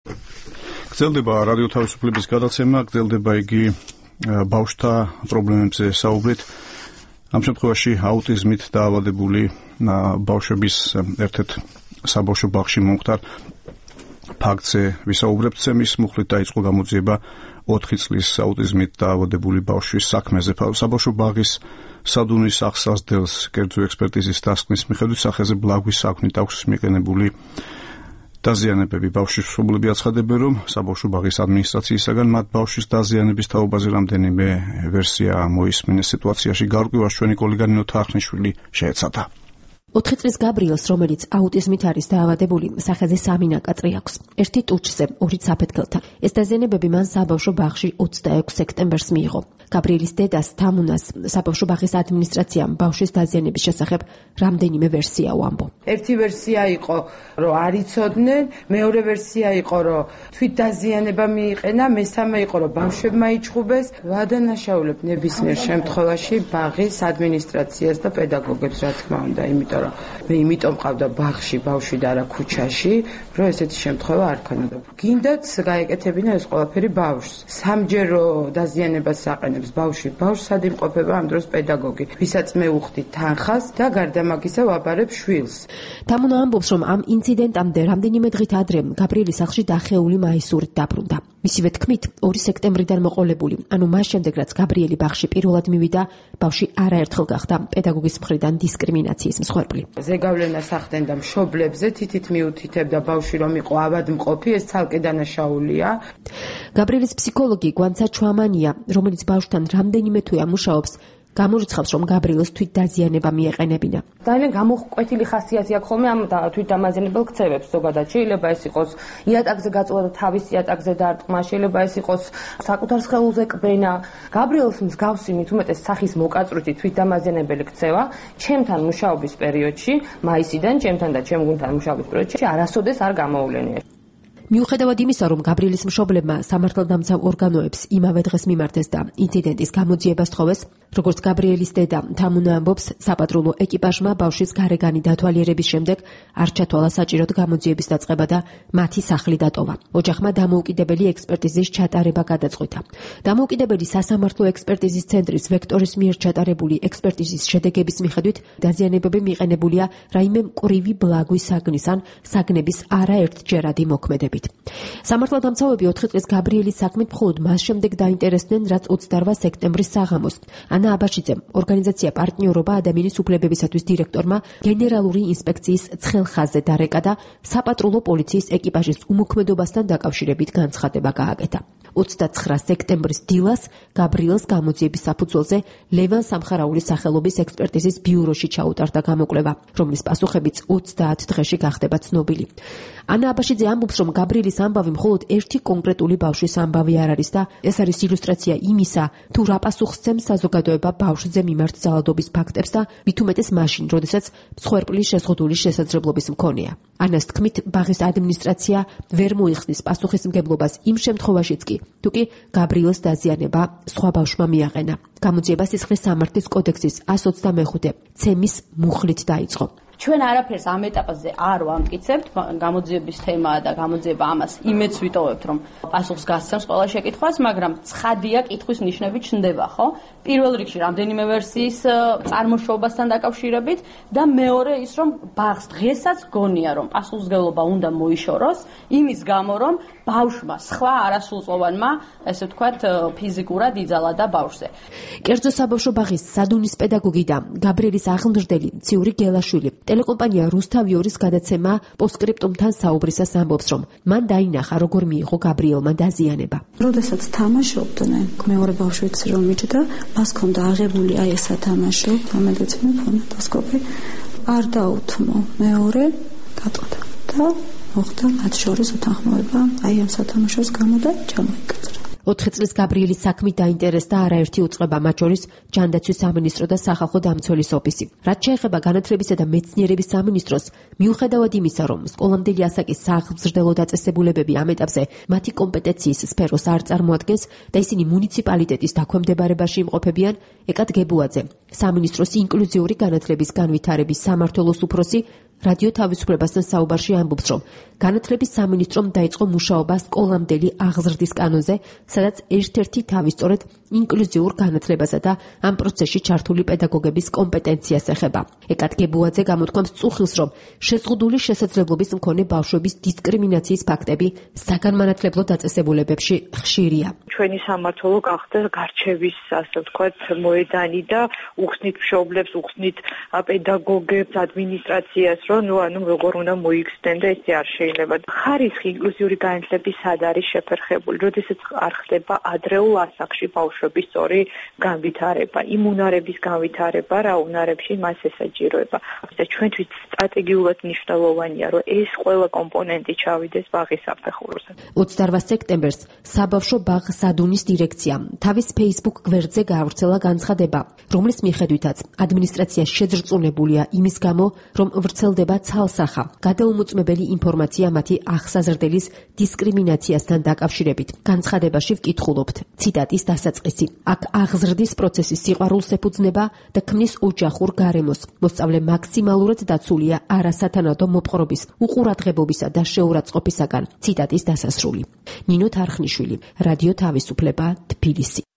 გრძელდება რადიო თავისუფლების გადაცემა, გრძელდება იგი ბავშვთა პრობლემებზე საუბრით. ამ შემთხვევაში აუტიზმით დაავადებული ბავშვების ერთ-ერთ საბავშვო ბაღში მომხდარ ფაქტზე ვისაუბრებთ. მის მუხლით დაიწყო გამოძიება 4 წლის აუტიზმით დაავადებული ბავშვის საქმეზე. საბავშვო ბაღის სადუნის აღსაზრდელს კერძო ექსპერტიზის დასკვნის მიხედვით სახეზე ბლაგვის საქმით აქვს მიყენებული დაზიანებები. ბავშვის მშობლები აცხადებენ, რომ საბავშვო ბაღის ადმინისტრაციისაგან მათ ბავშვის დაზიანების თაობაზე რამდენიმე ვერსია მოისმინეს. სიტუაციაში გარკვევას ჩვენი კოლეგა ნინო თახნიშვილი შეეცადა. 4 წლის გაბრიელს, რომელიც აუტიზმით არის დაავადებული, სახეზე 3 ნაკაწრი აქვს. ერთი ტუჩზე, 2 საფეთქელთან. ეს დაზიანებები მან საბავშვო ბაღში 26 სექტემბერს მიიღო. გაბრიელის დედას თამუნას საბავშვო ბაღის ადმინისტრაციამ ბავშვის დაზიანების შესახებ რამდენიმე ვერსია უამბო. ერთი ვერსია იყო, რომ არ იცოდნენ, მეორე ვერსია იყო, რომ თვით დაზიანება მიიყენა, მესამე იყო, რომ ბავშვებმა იჩხუბეს. ვადანაშაულებ ნებისმიერ შემთხვევაში ბაღის ადმინისტრაციას და პედაგოგებს, რა თქმა უნდა, მე იმიტომ ყავდა ბაღში ბავშვი და არა ქუჩაში, რომ ესეთი შემთხვევა არ ქონოდა. გინდათ გაეკეთებინა ეს ყველაფერი ბავშვს. სამჯერო დაზიანებას აყენებს ბავშვი. ბავშვს სად იმყოფება ამ დროს პედაგოგი, ვისაც მე უხდით თანხას და გარდა მაგისა ვაბარებ შვილს. თამუნა ამბობს, რომ ამ ინციდენტამდე რამდენიმე დღით ადრე გაბრიელის სახლში დახეული მაისურით დაბრუნდა. მისივე თქმით, 2 სექტემბრიდან მოყოლებული, ანუ მას შემდეგ, რაც გაბრიელი ბაღში პირველად მივიდა, ბავშვი არაერთხელ გახდა პედაგოგის მხრიდან დისკრიმინაციის მსხვერპლი. ზეგავლენას ახდენდა მშობლებზე, თითით მიუთითებდა ბავშვი რომ იყო ავადმყოფი, ეს ცალკე დანაშაულია. გაბრიელის ფსიქოლოგი გვანცა ჩვამანია, რომელიც ბავშვთან რამდენიმე თვეა მუშაობს, გამორიცხავს, რომ გაბრიელს თვით დაზიანება მიეყენებინა. ძალიან გამოყვეტილი ხასიათი აქვს ხოლმე ამ თვით დამაზიანებელ ქცევებს. ზოგადად შეიძლება ეს იყოს იატაკზე გაწვლა და თავის იატაკზე დარტყმა, შეიძლება ეს იყოს საკუთარ სხეულზე კბენა. გაბრიელს მსგავსი მით უმეტეს სახის მოკაწვრითი თვით დამაზიანებელი ქცევა ჩემთან მუშაობის პერიოდში, მაისიდან ჩემთან და ჩემ გუნდთან მუშაობის პერიოდში არასოდეს არ გამოუვლენია. მიუხედავად იმისა, რომ გაბრიელის მშობლებმა სამართალდამცავ ორგანოებს იმავე დღეს მიმართეს და ინციდენტის გამოძიება სთხოვეს, როგორც გაბრიელის დედა თამუნა ამბობს, საპატრულო ეკიპაჟმა ბავშვის გარეგანი დათვალიერების შემდეგ არ ჩათვალა საჭიროდ გამოძიების დაწყება და მათი სახლი დატოვა. ოჯახმა დამოუკიდებელი ექსპერტიზის ჩატარება გადაწყვიტა. დამოუკიდებელი სასამართლო ექსპერტიზის ცენტრის ვექტორის მიერ ჩატარებული ექსპერტიზის შედეგების მიხედვით დაზიანებები მიყენებულია რაიმე მკვრივი ბლაგვის საგნის ან საგნების არაერთჯერადი მოქმედებით. სამართალდამცავები 4 წლის გაბრიელის საქმით მხოლოდ მას შემდეგ დაინტერესდნენ, რაც 28 სექტემბრის საღამოს ანა აბაშიძემ, ორგანიზაცია პარტნიორობა ადამიანის უფლებებისათვის დირექტორმა გენერალური ინსპექციის ცხელ ხაზზე დარეკა და საპატრულო პოლიციის ეკიპაჟის უმოქმედობასთან დაკავშირებით განცხადება გააკეთა. 29 სექტემბრის დილას გაბრიელს გამოძიების საფუძველზე ლევან სამხარაულის სახელობის ექსპერტიზის ბიუროში ჩაუტარდა გამოკვლევა, რომლის პასუხებიც 30 დღეში გახდება ცნობილი. ანა აბაშიძე ამბობს, რომ გაბრიელის ამბავი მხოლოდ ერთი კონკრეტული ბავშვის ამბავი არ არის და ეს არის ილუსტრაცია იმისა, თუ რა პასუხს სცემს საზოგადოება ბავშვზე მიმართ ძალადობის ფაქტებს და მით უმეტეს მაშინ, როდესაც მსხვერპლის შეზღუდული შესაძლებლობის მქონეა. ანას თქმით, ბაღის ადმინისტრაცია ვერ მოიხსნის პასუხისმგებლობას იმ შემთხვევაშიც კი, თუ კი გაბრიელს დაზიანება სხვა ბავშვმა მიაყენა. გამოძიება სისხლის სამართლის კოდექსის 125 ცემის მუხლით დაიწყო. ჩვენ არაფერს ამ ეტაპზე არ ვამტკიცებთ, გამოძიების თემაა და გამოძიება ამას იმედს ვიტოვებთ, რომ პასუხს გასცემს ყველა შეკითხვას, მაგრამ ცხადია კითხვის ნიშნები ჩნდება, ხო? პირველ რიგში რამდენიმე ვერსიის წარმოშობასთან დაკავშირებით და მეორე ის, რომ ბაღს დღესაც გონია, რომ პასუხისმგებლობა უნდა მოიშოროს, იმის გამო, რომ ბავშვმა სხვა არასრულწლოვანმა, ესე ვთქვათ, ფიზიკურად იძალა და ბავშვზე. კერძო საბავშვო ბაღის სადუნის პედაგოგი და გაბრიელის აღმზრდელი ციური გელაშვილი ტელეკომპანია რუსთავიორის გადაცემა პოსტსკრიპტუმთან საუბრისას ამბობს, რომ მან დაინახა, როგორ მიიღო გაბრიელმა დაზიანება. როდესაც თამაშობდნენ, მეორე ბავშვიც რომ მიჭდა, მას ჰქონდა აღებული აი ეს სათამაშო, რომელიც მე ფონოტოსკოპი არ დაუთმო. მეორე გატყდა და მოხდა მათ შორის უთანხმოება აი ამ სათამაშოს გამო და ჩამოიკაწერა. 4 წლის გაბრიელის საქმით დაინტერესდა არაერთი უწყება, მათ შორის ჯანდაცვის სამინისტრო და სახალხო დამცველის ოფისი. რაც შეეხება განათლებისა და მეცნიერების სამინისტროს, მიუხედავად იმისა, რომ სკოლამდელი ასაკის სააღმზრდელო დაწესებულებები ამ ეტაპზე მათი კომპეტენციის სფეროს არ წარმოადგენს და ისინი მუნიციპალიტეტის დაქვემდებარებაში იმყოფებიან, ეკად გებუაძე, სამინისტროს ინკლუზიური განათლების განვითარების სამმართველოს უფროსი, რადიო თავისუფლებასთან საუბარში ამბობს, რომ განათლების სამინისტრომ დაიწყო მუშაობა სკოლამდელი აღზრდის კანონზე, სადაც ერთ-ერთი თავი სწორედ ინკლუზიურ განათლებასა და ამ პროცესში ჩართული პედაგოგების კომპეტენციას ეხება. ეკათ გებუაძე გამოთქვამს წუხილს, რომ შეზღუდული შესაძლებლობის მქონე ბავშვების დისკრიმინაციის ფაქტები საგანმანათლებლო დაწესებულებებში ხშირია. ჩვენი სამმართველო გახდა გარჩევის, ასე ვთქვათ, მოედანი და უხსნით მშობლებს, უხსნით პედაგოგებს, ადმინისტრაციას, რომ როგორ უნდა მოიხსნեն და ესე არ შეიძლება. ხარისხი ინკლუზიური განათლების სად არის შეფერხებული, როდესაც არ ხდება ადრეულ ასაკში ბავშვების სწორი განვითარება, იმ უნარების განვითარება, რა უნარებში მას ესაჯიროება. და ჩვენთვის სტრატეგიულად მნიშვნელოვანია, რომ ეს ყველა კომპონენტი ჩავიდეს ბაღის საფეხურზე. 28 სექტემბერს საბავშვო ბაღ სადუნის დირექციამ თავის Facebook გვერდზე გაავრცელა განცხადება, რომლის მიხედვითაც ადმინისტრაცია შეძრწუნებულია იმის გამო, რომ ვრცელდება ცალსახა, გადაუმოწმებელი ინფორმაცია მათი აღსაზრდელის დისკრიმინაციასთან დაკავშირებით. განცხადებაში ვკითხულობთ, ციტატის დასაწყისი. აქ აღზრდის პროცესი სიყვარულს ეფუძნება და ქმნის ოჯახურ გარემოს. მოსწავლე მაქსიმალურად დაცულია არასათანადო მოპყრობის, უყურადღებობისა და შეურაცხყოფისაგან. ციტატის დასასრული. ნინო თარხნიშვილი, რადიო თავისუფლება, თბილისი.